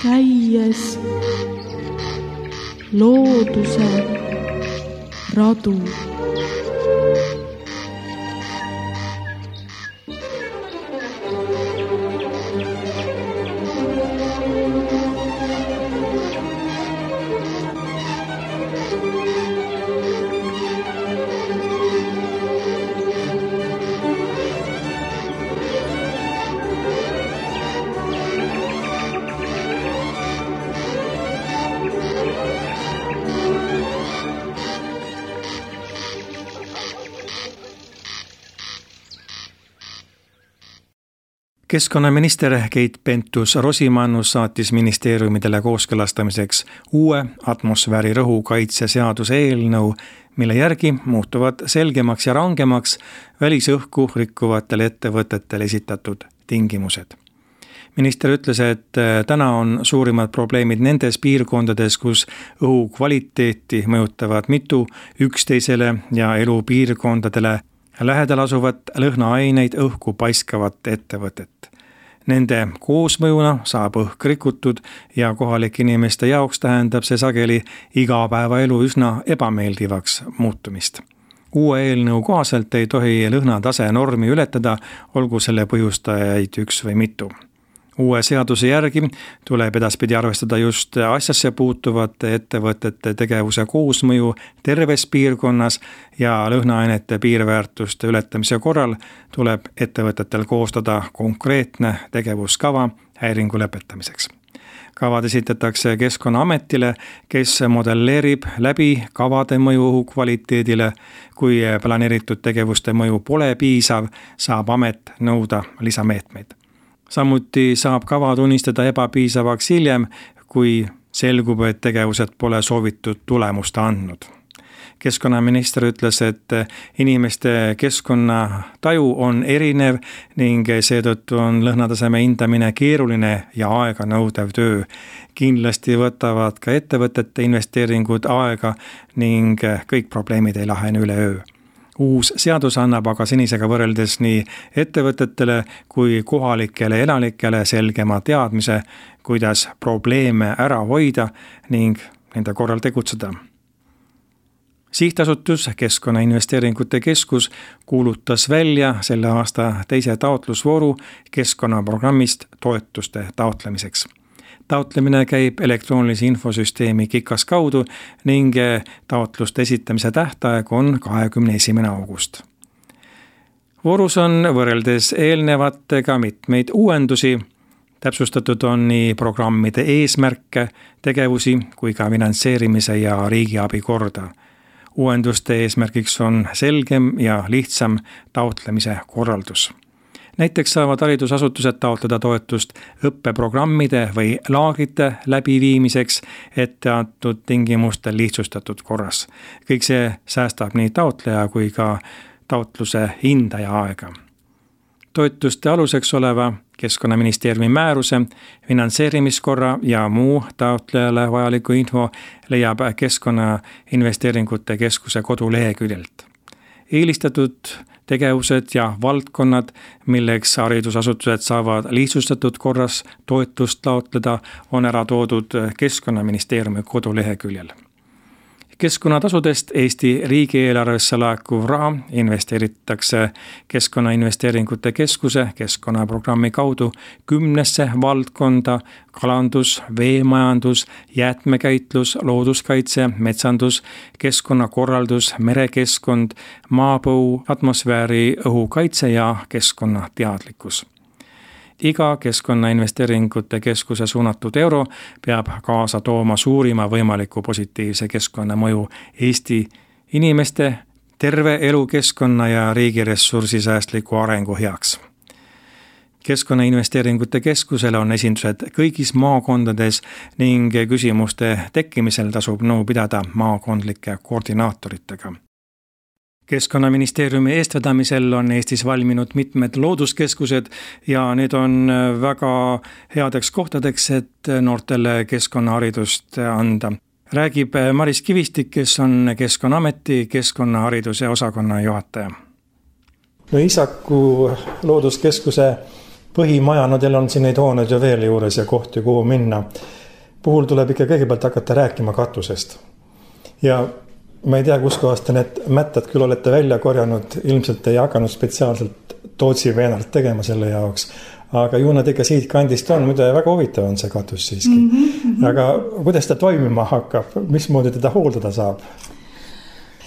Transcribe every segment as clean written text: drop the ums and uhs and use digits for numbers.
käies looduse radu. Keskkonnaminister Keit Pentus-Rosimannus saatis ministeeriumidele kooskõlastamiseks uue atmosfäärirõhu kaitse seaduse eelnõu, mille järgi muutuvad selgemaks ja rangemaks välisõhku rikkuvatele ettevõtetele esitatud tingimused. Minister ütles, et täna on suurimad probleemid nendes piirkondades, kus õhu kvaliteeti mõjutavad mitu üksteisele ja elupiirkondadele lähedal asuvat lõhnaaineid õhku paiskavat ettevõtet. Nende koosmõjuna saab õhk rikutud ja kohalike inimeste jaoks tähendab see sageli igapäevaelu üsna ebameeldivaks muutumist. Uue eelnõu kohaselt ei tohi lõhnatase normi ületada, olgu selle põhjustajaid üks või mitu. Uue seaduse järgi tuleb edaspidi arvestada just asjasse puutuvate ettevõtete tegevuse koosmõju terves piirkonnas ja lõhnaainete piirväärtuste ületamise korral tuleb ettevõtetel koostada konkreetne tegevuskava häiringu lõpetamiseks. Kavad esitatakse Keskkonnaametile, kes modelleerib läbi kavade mõju õhu kvaliteedile. Kui planeeritud tegevuste mõju pole piisav, saab amet nõuda lisameetmeid. Samuti saab kava tunnistada ebapiisavaks hiljem, kui selgub, et tegevused pole soovitud tulemust andnud. Keskkonnaminister ütles, et inimeste keskkonnataju on erinev ning seetõttu on lõhnataseme hindamine keeruline ja aeganõudev töö. Kindlasti võtavad ka ettevõtete investeeringud aega ning kõik probleemid ei lahene üleöö. Uus seadus annab aga senisega võrreldes nii ettevõtetele kui kohalikele elanikele selgema teadmise, kuidas probleeme ära hoida ning nende korral tegutseda. Sihtasutus Keskkonnainvesteeringute Keskus kuulutas välja selle aasta teise taotlusvooru keskkonnaprogrammist toetuste taotlemiseks. Taotlemine käib elektroonilise infosüsteemi KIKAS kaudu ning taotluste esitamise tähtaeg on 21. august. Voorus on võrreldes eelnevatega mitmeid uuendusi. Täpsustatud on nii programmide eesmärke, tegevusi kui ka finantseerimise ja riigiabi korda. Uuenduste eesmärgiks on selgem ja lihtsam taotlemise korraldus. Näiteks saavad haridusasutused taotleda toetust õppeprogrammide või laagrite läbiviimiseks etteantud tingimustel lihtsustatud korras. Kõik see säästab nii taotleja kui ka taotluse hindaja aega. Toetuste aluseks oleva Keskkonnaministeeriumi määruse, finantseerimiskorra ja muu taotlejale vajaliku info leiab Keskkonnainvesteeringute Keskuse koduleheküljelt. Eelistatud tegevused ja valdkonnad, milleks haridusasutused saavad lihtsustatud korras toetust taotleda, on ära toodud Keskkonnaministeeriumi koduleheküljel. Keskkonnatasudest Eesti riigieelarvesse laekuv raha investeeritakse Keskkonnainvesteeringute Keskuse keskkonnaprogrammi kaudu 10 valdkonda: kalandus, veemajandus, jäätmekäitlus, looduskaitse, metsandus, keskkonnakorraldus, merekeskkond, maapõu, atmosfääri õhukaitse ja keskkonnateadlikkus. Iga Keskkonnainvesteeringute Keskuse suunatud euro peab kaasa tooma suurima võimaliku positiivse keskkonnamõju Eesti inimeste, terve elukeskkonna ja riigiressursi säästliku arengu heaks. Keskkonnainvesteeringute Keskusel on esindused kõigis maakondades ning küsimuste tekkimisel tasub nõu pidada maakondlike koordinaatoritega. Keskkonnaministeeriumi eestvedamisel on Eestis valminud mitmed looduskeskused ja need on väga headeks kohtadeks, et noortele keskkonnaharidust anda. Räägib Maris Kivistik, kes on Keskkonnaameti keskkonnahariduse osakonna juhataja. Iisaku looduskeskuse põhimaja, no teil on siin neid hooneid ju veel juures ja kohti, kuhu minna. Puhul tuleb ikka kõigepealt hakata rääkima katusest. Ja ma ei tea, kus kohast te need mättad küll olete välja korjanud, ilmselt ei hakanud spetsiaalselt Tootsi veenalt tegema selle jaoks. Aga ju nad ikka siit kandist on, muide väga huvitav on see katus siiski. Aga kuidas ta toimima hakkab, mismoodi teda hooldada saab?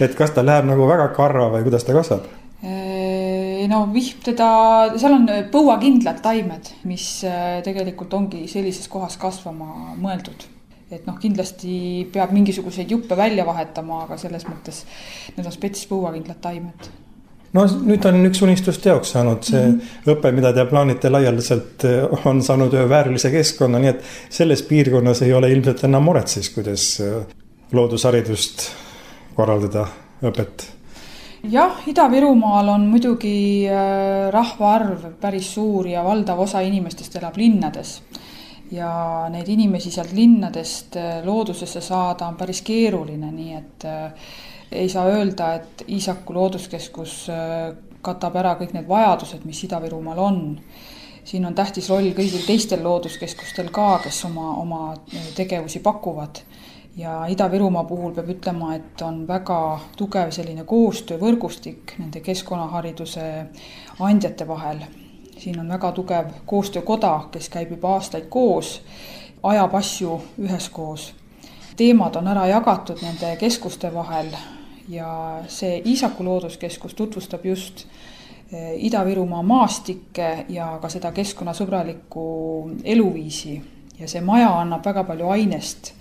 Et kas ta läheb nagu väga karva või kuidas ta kasvab? No seal on põuakindlad taimed, mis tegelikult ongi sellises kohas kasvama mõeldud. Et kindlasti peab mingisuguseid juppe välja vahetama, aga selles mõttes need on spetsis põuakindlad taimed. No nüüd on üks unistus teoks saanud see õpe, mida te plaanite laialdaselt, on saanud väärilise keskkonna, nii et selles piirkonnas ei ole ilmselt enam muret siis, kuidas loodusharidust korraldada õpet. Jah, Ida-Virumaal on muidugi rahvaarv päris suur ja valdav osa inimestest elab linnades. Ja neid inimesi sealt linnadest loodusesse saada on päris keeruline, nii et ei saa öelda, et Iisaku looduskeskus katab ära kõik need vajadused, mis Ida-Virumaal on. Siin on tähtis roll kõigil teistel looduskeskustel ka, kes oma tegevusi pakuvad. Ja Ida-Virumaa puhul peab ütlema, et on väga tugev selline koostöövõrgustik nende keskkonnahariduse andjate vahel. Siin on väga tugev koostöökoda, kes käib juba aastaid koos, ajab asju üheskoos. Teemad on ära jagatud nende keskuste vahel ja see Iisaku looduskeskus tutvustab just Ida-Virumaa maastikke ja ka seda keskkonnasõbralikku eluviisi. Ja see maja annab väga palju ainest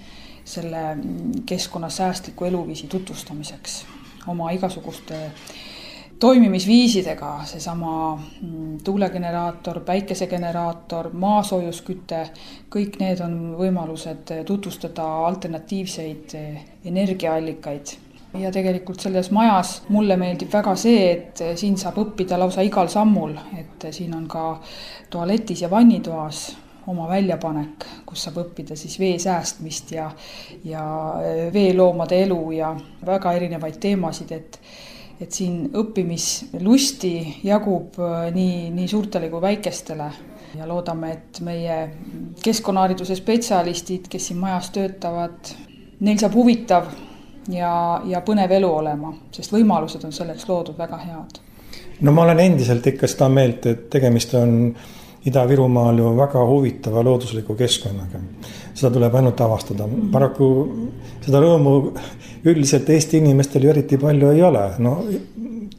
selle keskkonnasäästliku eluviisi tutvustamiseks oma igasuguste toimimisviisidega, seesama tuulegeneraator, päikesegeneraator, maasoojusküte, kõik need on võimalused tutvustada alternatiivseid energiaallikaid. Ja tegelikult selles majas mulle meeldib väga see, et siin saab õppida lausa igal sammul, et siin on ka tualetis ja vannitoas oma väljapanek, kus saab õppida siis vee säästmist ja veeloomade elu ja väga erinevaid teemasid, et siin õppimislusti jagub nii suurtele kui väikestele. Ja loodame, et meie keskkonnahariduse spetsialistid, kes siin majas töötavad, neil saab huvitav ja põnev elu olema, sest võimalused on selleks loodud väga head. No ma olen endiselt ikka seda meelt, et tegemist on Ida-Virumaal ju väga huvitava loodusliku keskkonnaga. Seda tuleb ainult avastada. Paraku seda rõõmu üldiselt Eesti inimestel ju eriti palju ei ole. No,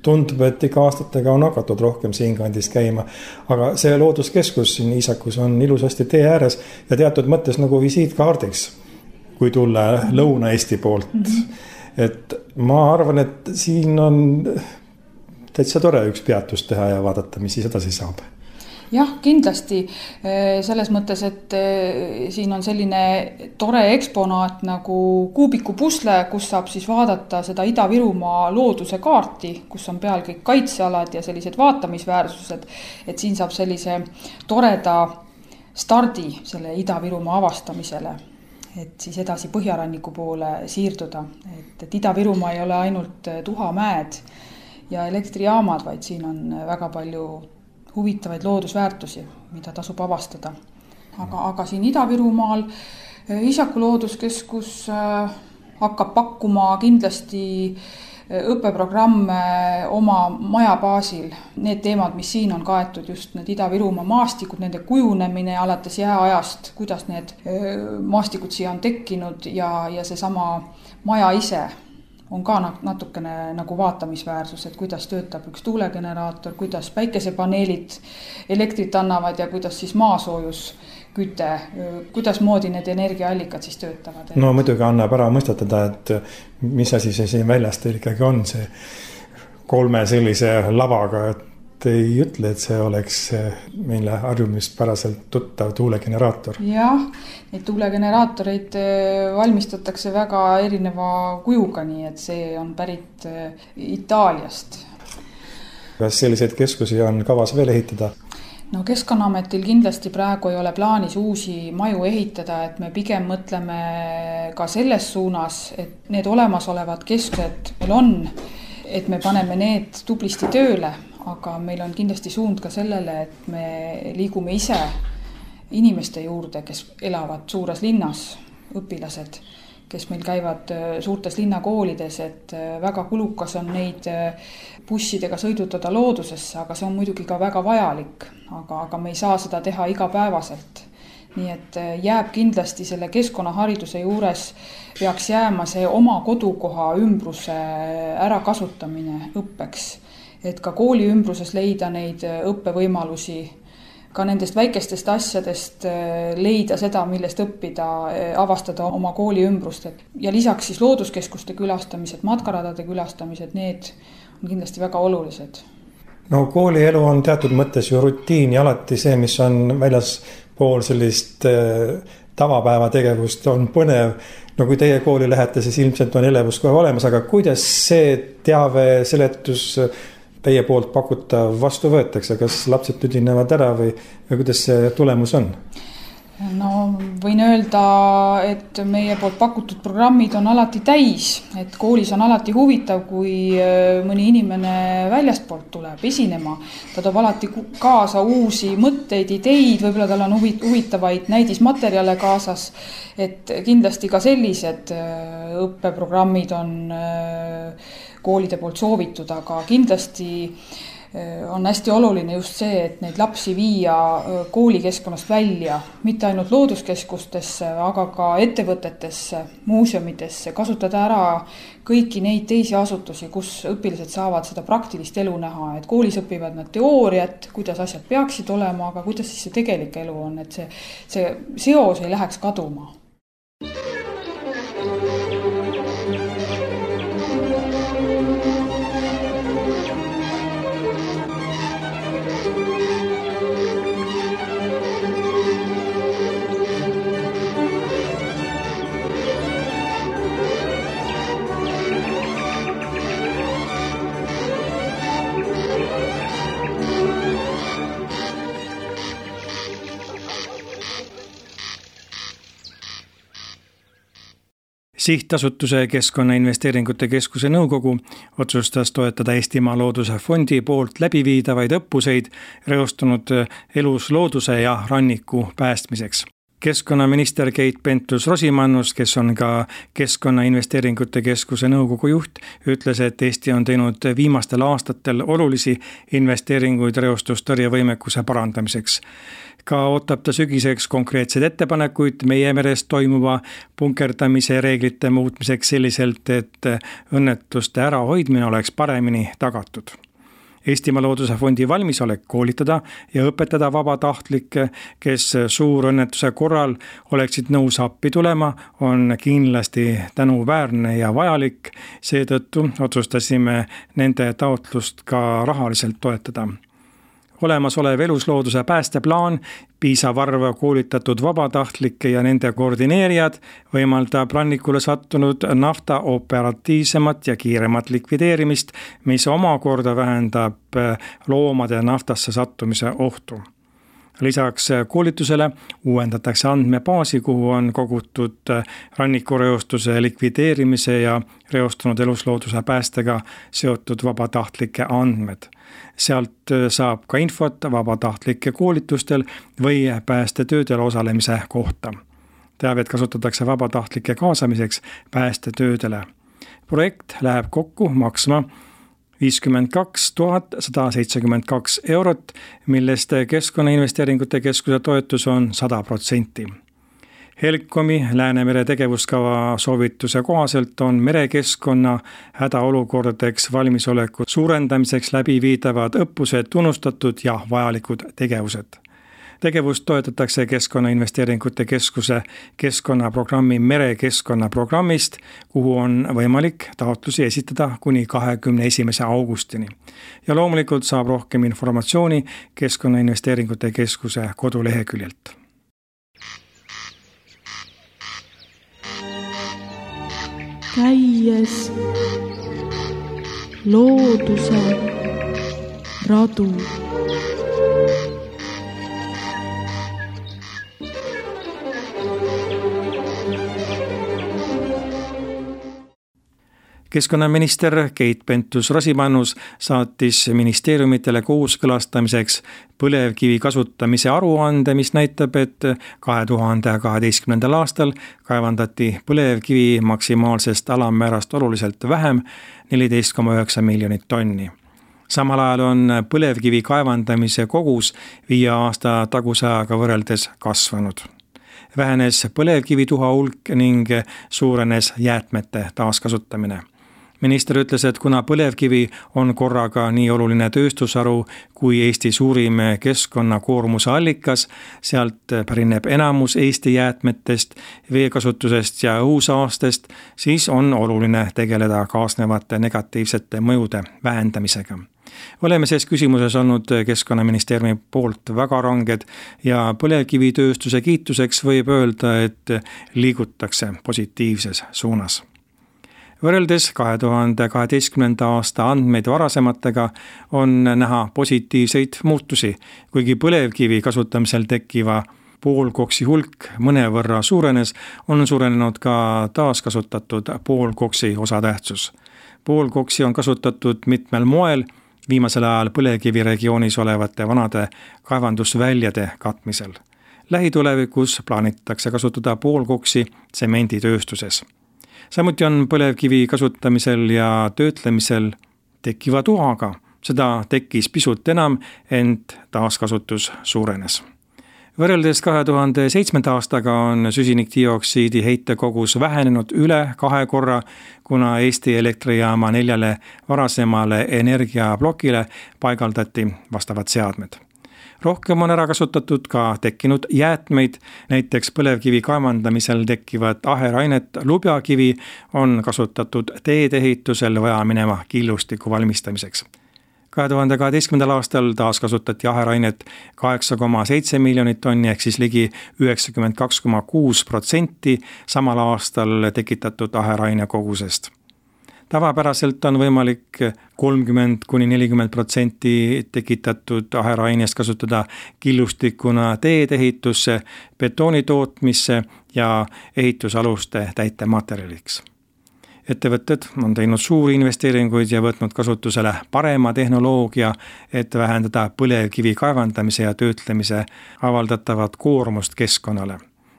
tundub, et ikka aastatega on hakatud rohkem siin kandis käima. Aga see looduskeskus siin Iisakus on ilusasti tee ääres ja teatud mõttes nagu visiitkaardiks, kui tulla Lõuna-Eesti poolt. Et ma arvan, et siin on täitsa tore üks peatus teha ja vaadata, mis siis edasi saab. Jah, kindlasti selles mõttes, et siin on selline tore eksponaat nagu kuubiku pusle, kus saab siis vaadata seda Ida-Virumaa looduse kaarti, kus on peal kõik kaitsealad ja sellised vaatamisväärsused, et siin saab sellise toreda stardi selle Ida-Virumaa avastamisele, et siis edasi Põhjaranniku poole siirduda, et Ida-Virumaa ei ole ainult tuhamäed ja elektrijaamad, vaid siin on väga palju huvitavaid loodusväärtusi, mida tasub avastada. Aga siin Ida-Virumaal Iisaku looduskeskus hakkab pakkuma kindlasti õppeprogramme oma maja baasil. Need teemad, mis siin on kaetud, just need Ida-Virumaa maastikud, nende kujunemine alates jääajast, kuidas need maastikud siia on tekkinud ja seesama maja ise on ka natukene nagu vaatamisväärsus, et kuidas töötab üks tuulegeneraator, kuidas päikesepaneelid elektrit annavad ja kuidas siis maasoojusküte, kuidas moodi need energiaallikad siis töötavad. No muidugi annab ära mõistatada, et mis asi see siin väljast ikkagi on see 3 sellise lavaga, et ei ütle, et see oleks meile harjumispäraselt tuttav tuulegeneraator. Jah, neid tuulegeneraatoreid valmistatakse väga erineva kujuga, nii et see on pärit Itaaliast. Kas selliseid keskusi on kavas veel ehitada? No Keskkonnaametil kindlasti praegu ei ole plaanis uusi maju ehitada, et me pigem mõtleme ka selles suunas, et need olemasolevad keskused meil on, et me paneme need tublisti tööle, aga meil on kindlasti suund ka sellele, et me liigume ise inimeste juurde, kes elavad suures linnas, õpilased, kes meil käivad suurtes linnakoolides, et väga kulukas on neid bussidega sõidutada loodusesse, aga see on muidugi ka väga vajalik, aga me ei saa seda teha igapäevaselt. Nii et jääb kindlasti selle keskkonnahariduse juures peaks jääma see oma kodukoha ümbruse ärakasutamine õppeks, et ka kooli ümbruses leida neid õppevõimalusi, ka nendest väikestest asjadest leida seda, millest õppida, avastada oma kooli ümbrust. Ja lisaks siis looduskeskuste külastamised, matkaradade külastamised, need on kindlasti väga olulised. No koolielu on teatud mõttes ju rutiin ja alati see, mis on väljas pool sellist tavapäeva tegevust on põnev. No kui teie kooli lähete, siis ilmselt on elevus kohe olemas, aga kuidas see teave, seletus teie poolt pakutav vastu võetakse? Kas lapsed tüdinevad ära või kuidas see tulemus on? No võin öelda, et meie poolt pakutud programmid on alati täis, et koolis on alati huvitav, kui mõni inimene väljastpoolt tuleb esinema. Ta toob alati kaasa uusi mõtteid, ideid, võib-olla tal on huvitavaid näidismaterjale kaasas, et kindlasti ka sellised õppeprogrammid on koolide poolt soovitud, aga kindlasti on hästi oluline just see, et neid lapsi viia koolikeskkonnast välja, mitte ainult looduskeskustesse, aga ka ettevõtetesse, muuseumidesse, kasutada ära kõiki neid teisi asutusi, kus õpilased saavad seda praktilist elu näha, et koolis õpivad nad teooriat, kuidas asjad peaksid olema, aga kuidas siis see tegelik elu on, et see seos ei läheks kaduma. Sihtasutuse Keskkonnainvesteeringute Keskuse nõukogu otsustas toetada Eestimaa Looduse Fondi poolt läbiviidavaid õppuseid reostunud eluslooduse ja ranniku päästmiseks. Keskkonnaminister Keit Pentus-Rosimannus, kes on ka Keskkonnainvesteeringute Keskuse nõukogu juht, ütles, et Eesti on teinud viimastel aastatel olulisi investeeringuid reostustõrjevõimekuse parandamiseks. Ka ootab ta sügiseks konkreetseid ettepanekuid meie meres toimuva punkerdamise reeglite muutmiseks selliselt, et õnnetuste ärahoidmine oleks paremini tagatud. Eestimaa Looduse Fondi valmisolek koolitada ja õpetada vabatahtlikke, kes suurõnnetuse korral oleksid nõus appi tulema, on kindlasti tänuväärne ja vajalik. Seetõttu otsustasime nende taotlust ka rahaliselt toetada. Olemasolev eluslooduse päästeplaan, piisav arv koolitatud vabatahtlikke ja nende koordineerijad võimaldab rannikule sattunud nafta operatiivsemat ja kiiremat likvideerimist, mis omakorda vähendab loomade naftasse sattumise ohtu. Lisaks koolitusele uuendatakse andmebaasi, kuhu on kogutud rannikureostuse likvideerimise ja reostunud eluslooduse päästega seotud vabatahtlike andmed. Sealt saab ka infot vabatahtlike koolitustel või päästetöödel osalemise kohta. Teavet kasutatakse vabatahtlike kaasamiseks päästetöödele. Projekt läheb kokku maksma 52 172 €, millest Keskkonnainvesteeringute Keskuse toetus on 100%. Helcomi Läänemere tegevuskava soovituse kohaselt on merekeskkonna hädaolukordadeks valmisoleku suurendamiseks läbiviidavad õppused tunnustatud ja vajalikud tegevused. Tegevust toetatakse Keskkonnainvesteeringute Keskuse keskkonnaprogrammi merekeskkonnaprogrammist, kuhu on võimalik taotlusi esitada kuni 21. augustini. Ja loomulikult saab rohkem informatsiooni Keskkonnainvesteeringute Keskuse koduleheküljelt. Käies looduse radu. Keskkonnaminister Keit Pentus-Rosimannus saatis ministeeriumitele kooskõlastamiseks põlevkivi kasutamise aruande, mis näitab, et 2012. aastal kaevandati põlevkivi maksimaalsest alammäärast oluliselt vähem, 14,9 miljonit tonni. Samal ajal on põlevkivi kaevandamise kogus 5 aasta taguse ajaga võrreldes kasvanud. Vähenes põlevkivituha hulk ning suurenes jäätmete taaskasutamine. Minister ütles, et kuna põlevkivi on korraga nii oluline tööstusharu kui Eesti suurim keskkonnakoormuse allikas, sealt pärineb enamus Eesti jäätmetest, veekasutusest ja õhusaastest, siis on oluline tegeleda kaasnevate negatiivsete mõjude vähendamisega. Oleme selles küsimuses olnud Keskkonnaministeeriumi poolt väga ranged ja põlevkivitööstuse kiituseks võib öelda, et liigutakse positiivses suunas. Võrreldes 2012. aasta andmeid varasematega on näha positiivseid muutusi, kuigi põlevkivi kasutamisel tekkiva poolkoksi hulk mõnevõrra suurenes, on suurenenud ka taaskasutatud poolkoksi osatähtsus. Poolkoksi on kasutatud mitmel moel, viimasel ajal põlevkivi regioonis olevate vanade kaevandusväljade katmisel. Lähitulevikus plaanitakse kasutada poolkoksi tsemenditööstuses. Samuti on põlevkivi kasutamisel ja töötlemisel tekkiva tuhaga. Seda tekkis pisut enam, ent taaskasutus suurenes. Võrreldes 2007. aastaga on süsinikdioksiidi heitekogus vähenenud üle 2 korra, kuna Eesti elektrijaama 4 varasemale energiablokile paigaldati vastavad seadmed. Rohkem on ära kasutatud ka tekkinud jäätmeid, näiteks põlevkivi kaevandamisel tekkivat aherainet lubjakivi on kasutatud teedeehitusel vajamineva killustiku valmistamiseks. 2012. aastal taaskasutati aherainet 8,7 miljonit tonni ehk siis ligi 92,6% samal aastal tekitatud aheraine kogusest. Tavapäraselt on võimalik 30–40% tekitatud aherainest kasutada killustikuna teedehitusse, betooni tootmisse ja ehitusaluste täitematerjaliks. Ettevõtted on teinud suuri investeeringuid ja võtnud kasutusele parema tehnoloogia, et vähendada põlevkivi kaevandamise ja töötlemise avaldatavat koormust keskkonnale.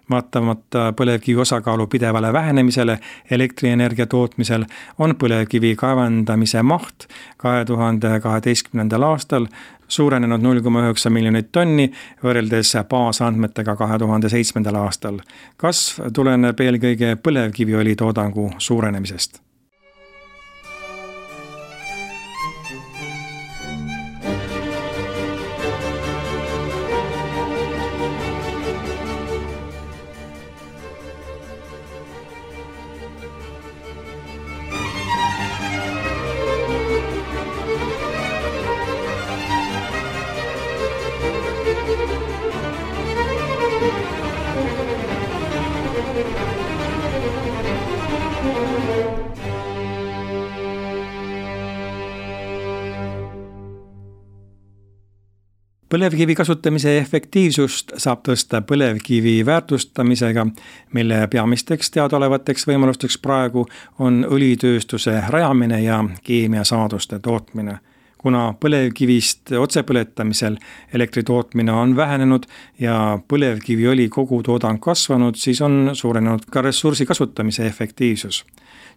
Vaatamata põlevkivi osakaalu pidevale vähenemisele elektrienergia tootmisel on põlevkivi kaevandamise maht 2012. aastal suurenenud 0,9 miljonit tonni võrreldes baasandmetega 2007. aastal. Kasv tuleneb eelkõige põlevkiviõli toodangu suurenemisest. Põlevkivi kasutamise efektiivsust saab tõsta põlevkivi väärtustamisega, mille peamisteks teadaolevateks võimalusteks praegu on õlitööstuse rajamine ja keemiasaaduste tootmine. Kuna põlevkivist otsepõletamisel elektri tootmine on vähenenud ja põlevkiviõli kogutoodang kasvanud, siis on suurenenud ka ressursi kasutamise efektiivsus.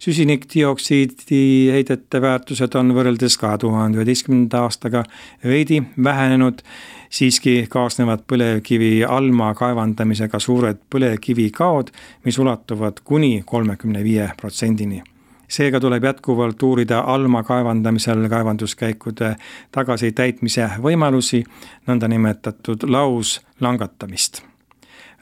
Süsinikdioksiidi heidete väärtused on võrreldes 2011. aastaga veidi vähenenud, siiski kaasnevad põlevkivi alma kaevandamisega suured põlevkivikaod, mis ulatuvad kuni 35%-ni. Seega tuleb jätkuvalt uurida alma kaevandamisel kaevanduskäikude tagasitäitmise võimalusi, nõndanimetatud lauslangatamist.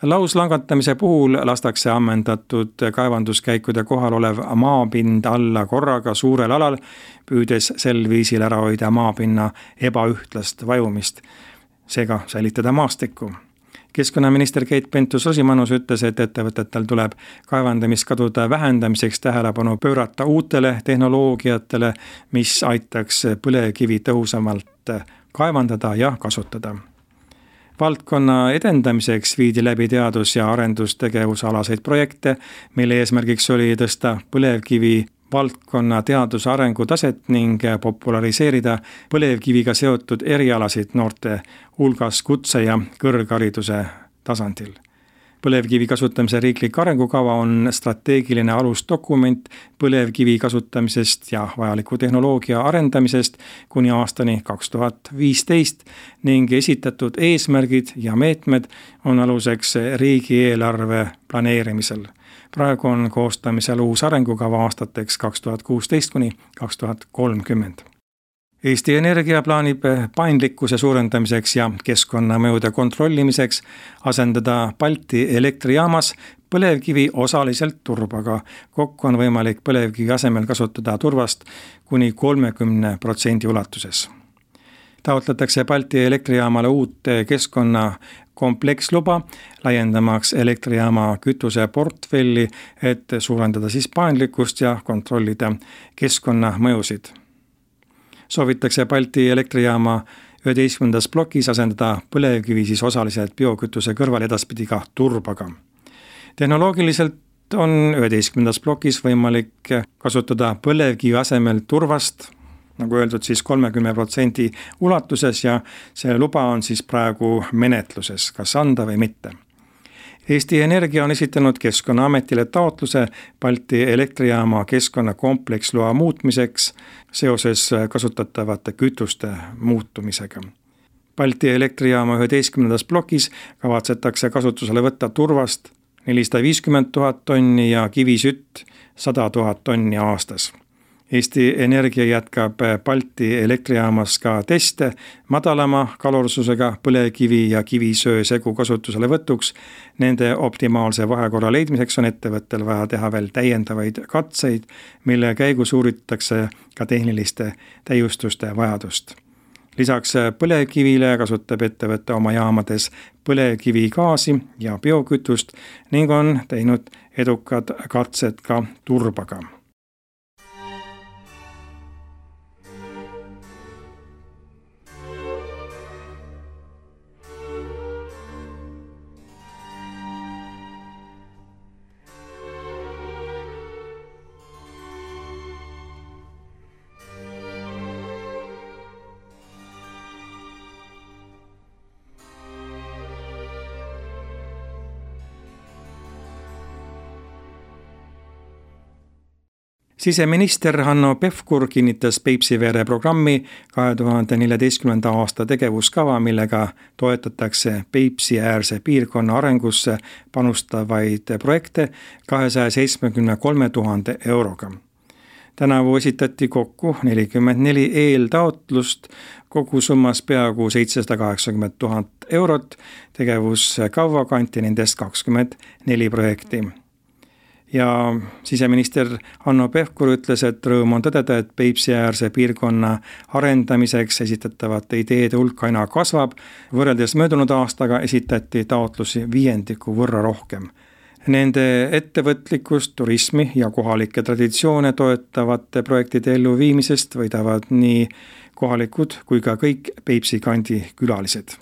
Lauslangatamise puhul lastakse ammendatud kaevanduskäikude kohal olev maapind alla korraga suurel alal, püüdes sel viisil ära hoida maapinna ebaühtlast vajumist, seega säilitada maastikku. Keskkonnaminister Keit Pentus-Rosimannus ütles, et ettevõtetel tuleb kaevandamiskadude vähendamiseks tähelepanu pöörata uutele tehnoloogiatele, mis aitaks põlevkivi tõhusamalt kaevandada ja kasutada. Valdkonna edendamiseks viidi läbi teadus- ja arendustegevusalaseid projekte, mille eesmärgiks oli tõsta põlevkivi valdkonna teaduse arengutaset ning populariseerida põlevkiviga seotud erialasid noorte hulgas kutse- ja kõrghariduse tasandil. Põlevkivi kasutamise riiklik arengukava on strateegiline alusdokument põlevkivi kasutamisest ja vajaliku tehnoloogia arendamisest kuni aastani 2015 ning esitatud eesmärgid ja meetmed on aluseks riigieelarve planeerimisel. Praegu on koostamisel uus arengukava aastateks 2016 kuni 2030. Eesti Energia plaanib paindlikkuse suurendamiseks ja keskkonnamõjude kontrollimiseks asendada Balti elektrijaamas põlevkivi osaliselt turbaga. Kokku on võimalik põlevkivi asemel kasutada turvast kuni 30% ulatuses. Taotletakse Balti elektrijaamale uut keskkonna kompleksluba, laiendamaks elektrijaama kütuse portfelli, et suurendada siis paindlikkust ja kontrollida keskkonnamõjusid. Soovitakse Balti elektrijaama 11. plokis asendada põlevkivi siis osaliselt biokütuse kõrval edaspidi ka turbaga. Tehnoloogiliselt on 11. plokis võimalik kasutada põlevkivi asemel turvast, nagu öeldud, siis 30% ulatuses ja see luba on siis praegu menetluses, kas anda või mitte. Eesti Energia on esitanud Keskkonnaametile taotluse Balti elektrijaama keskkonnakompleksloa muutmiseks seoses kasutatavate kütuste muutumisega. Balti elektrijaama 11. plokis kavatsetakse kasutusele võtta turvast 450 000 tonni ja kivisütt 100 000 tonni aastas. Eesti Energia jätkab Balti elektrijaamas ka teste madalama kalorsusega põlevkivi ja kivisöö segu kasutusele võtuks. Nende optimaalse vahekorra leidmiseks on ettevõttel vaja teha veel täiendavaid katseid, mille käigus uuritakse ka tehniliste täiustuste vajadust. Lisaks põlevkivile kasutab ettevõte oma jaamades põlevkivigaasi ja biokütust ning on teinud edukad katsed ka turbaga. Siseminister Hanno Pevkur kinnitas Peipsiveere programmi 2014. aasta tegevuskava, millega toetatakse Peipsi-äärse piirkonna arengusse panustavaid projekte 273 000 euroga. Tänavu esitati kokku 44 eeltaotlust, kogu summas peaaegu 780 000 eurot, tegevuskava kanti nendest 24 projekti. Ja siseminister Hanno Pevkur ütles, et rõõm on tõdeda, et Peipsi-äärse piirkonna arendamiseks esitatavate ideede hulk aina kasvab. Võrreldes möödunud aastaga esitati taotlusi 5% võrra rohkem. Nende ettevõtlikkust, turismi ja kohalikke traditsioone toetavate projektide elluviimisest võidavad nii kohalikud kui ka kõik Peipsi kandi külalised.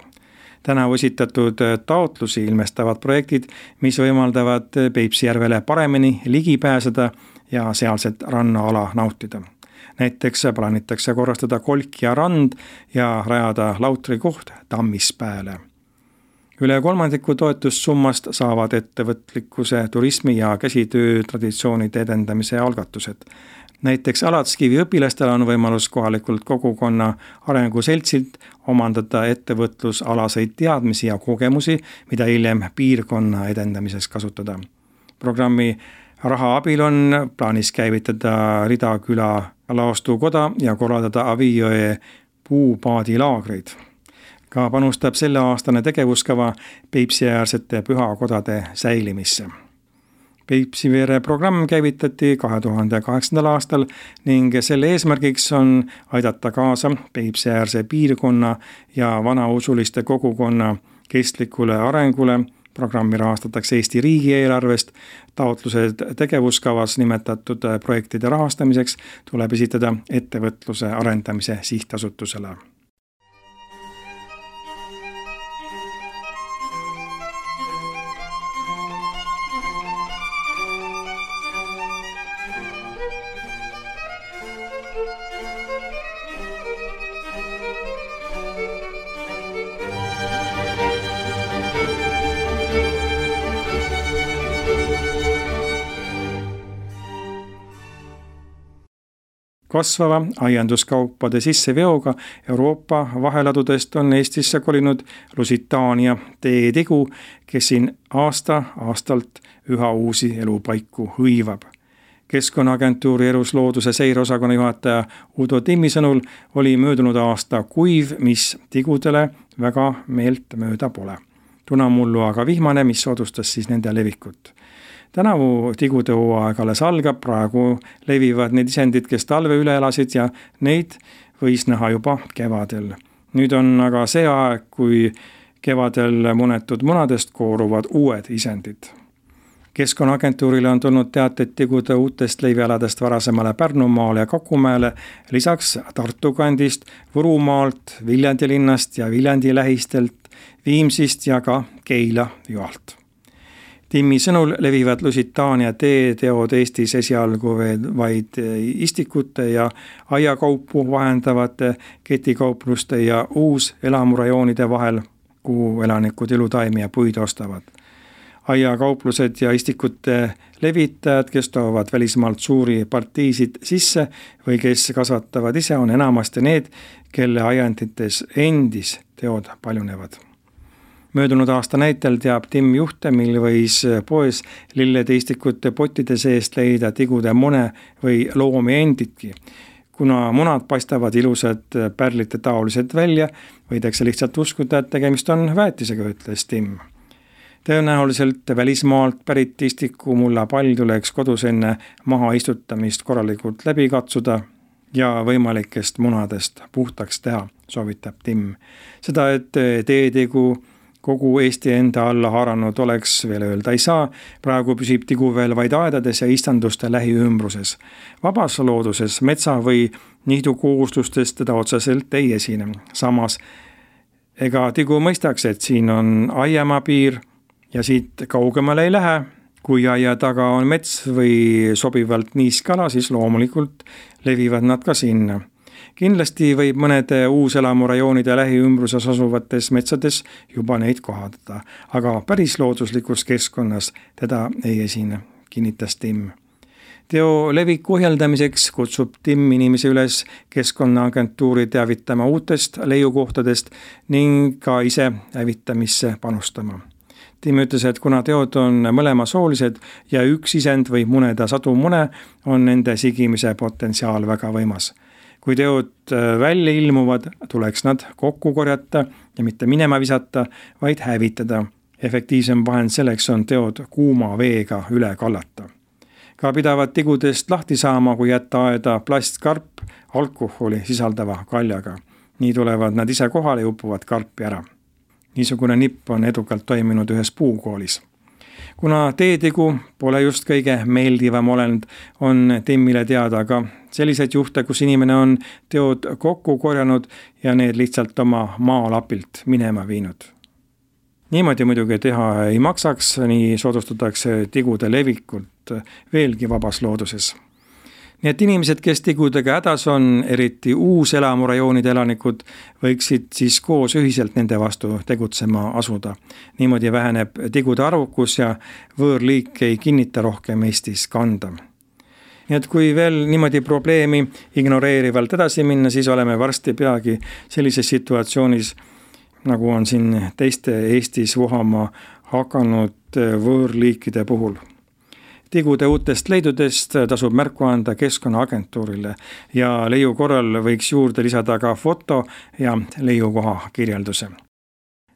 Tänavu esitatud taotlusi ilmestavad projektid, mis võimaldavad Peipsi järvele paremini ligi pääseda ja sealset rannaala nautida. Näiteks plaanitakse korrastada Kolkja rand ja rajada lautrikoht Tammispääle. Üle 3% toetussummast saavad ettevõtlikkuse, turismi ja käsitöö traditsioonide edendamise algatused. Näiteks Alatskivi õpilastel on võimalus kohalikult kogukonna arenguseltsilt omandada ettevõtlusalaseid teadmisi ja kogemusi, mida hiljem piirkonna edendamiseks kasutada. Programmi raha abil on plaanis käivitada Ridaküla laostukoda ja korraldada Avijõe puupaadilaagreid. Ka panustab selleaastane tegevuskava Peipsi-äärsete pühakodade säilimisse. Peipsiveere programm käivitati 2008. aastal ning selle eesmärgiks on aidata kaasa Peipsi-äärse piirkonna ja vanausuliste kogukonna kestlikule arengule. Programmi rahastatakse Eesti riigieelarvest. Taotlused tegevuskavas nimetatud projektide rahastamiseks tuleb esitada ettevõtluse arendamise sihtasutusele. Kasvava aianduskaupade sisseveoga Euroopa vaheladudest on Eestisse kolinud Lusitaania teetigu, kes siin aastalt üha uusi elupaiku hõivab. Keskkonnaagentuuri Eruslooduse seireosakonna juhataja Udo Timmi sõnul oli möödunud aasta kuiv, mis tigudele väga meelt mööda pole. Tunamullu aga vihmane, mis soodustas siis nende levikut. Tänavu tigude hooaeg alles algab, praegu levivad need isendid, kes talve üle elasid ja neid võis näha juba kevadel. Nüüd on aga see aeg, kui kevadel munetud munadest kooruvad uued isendid. Keskkonnaagentuurile on tulnud teateid tigude uutest leivialadest varasemale Pärnumaale ja Kakumäele, lisaks Tartu kandist, Võrumaalt, Viljandi linnast ja Viljandi lähistelt, Viimsist ja ka Keila joalt. Timmi sõnul levivad Lusitaania teeteod Eestis esialgu vaid istikute ja aiakaupu vahendavate ketikaupluste ja uuselamurajoonide vahel, kuhu elanikud ilutaimi ja puid ostavad. Aiakauplused ja istikute levitajad, kes toovad välismaalt suuri partiisid sisse või kes kasvatavad ise, on enamasti need, kelle aiandites endis teod paljunevad. Möödunud aasta näitel teab Timm juhte, mil võis poes lillede istikute pottide seest leida tigude mune või loomi enditki. Kuna munad paistavad ilusad pärlite taolised välja, võidakse lihtsalt uskuda, et tegemist on väetisega, ütles Timm. Tõenäoliselt välismaalt pärit istiku mulla pall tuleks kodus enne maha istutamist korralikult läbi katsuda ja võimalikest munadest puhtaks teha, soovitab Timm. Seda, et teetigu kogu Eesti enda alla haaranud oleks, veel öelda ei saa. Praegu püsib tigu veel vaid aedades ja istanduste lähiümbruses. Vabas looduses metsa või nihdu kohustustest teda otseselt ei esine. Samas, ega tigu mõistaks, et siin on aiamaa piir ja siit kaugemale ei lähe. Kui aia taga on mets või sobivalt niiskala, siis loomulikult levivad nad ka sinna. Kindlasti võib mõnede uuselamurajoonide lähiümbruses asuvates metsades juba neid kohaldada, aga päris looduslikus keskkonnas teda ei esine, kinnitas Timm. Teo leviku ohjeldamiseks kutsub Timm inimesi üles Keskkonnaagentuuri teavitama uutest leiukohtadest ning ka ise hävitamisse panustama. Timm ütles, et kuna teod on mõlemasoolised ja üks isend võib muneda sadu mune, on nende sigimise potentsiaal väga võimas. Kui teod välja ilmuvad, tuleks nad kokku korjata ja mitte minema visata, vaid hävitada. Efektiivsem vahend selleks on teod kuuma veega üle kallata. Ka pidavad tigudest lahti saama, kui jätta aeda plastkarp alkoholi sisaldava kaljaga. Nii tulevad nad ise kohale ja upuvad karpi ära. Niisugune nipp on edukalt toiminud ühes puukoolis. Kuna teetigu pole just kõige meeldivam olend, on Timmile teada ka selliseid juhte, kus inimene on teod kokku korjanud ja need lihtsalt oma maalapilt minema viinud. Niimoodi muidugi teha ei maksaks, nii soodustatakse tigude levikult veelgi vabas looduses. Nii et inimesed, kes tigudega hädas on, eriti uuselamurajoonide elanikud, võiksid siis koos ühiselt nende vastu tegutsema asuda. Niimoodi väheneb tigude arvukus ja võõrliik ei kinnita rohkem Eestis kanda. Nii et kui veel niimoodi probleemi ignoreerivalt edasi minna, siis oleme varsti peagi sellises situatsioonis, nagu on siin teiste Eestis vohama hakanud võõrliikide puhul. Tigude uutest leidudest tasub märku anda Keskkonnaagentuurile ja leiu korral võiks juurde lisada ka foto ja leiukoha kirjelduse.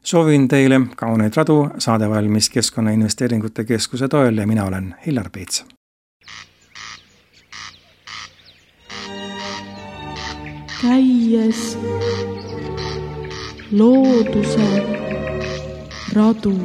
Soovin teile kauneid radu, saade valmis Keskkonnainvesteeringute Keskuse toel ja mina olen Hillar Peets. Käies looduse radu.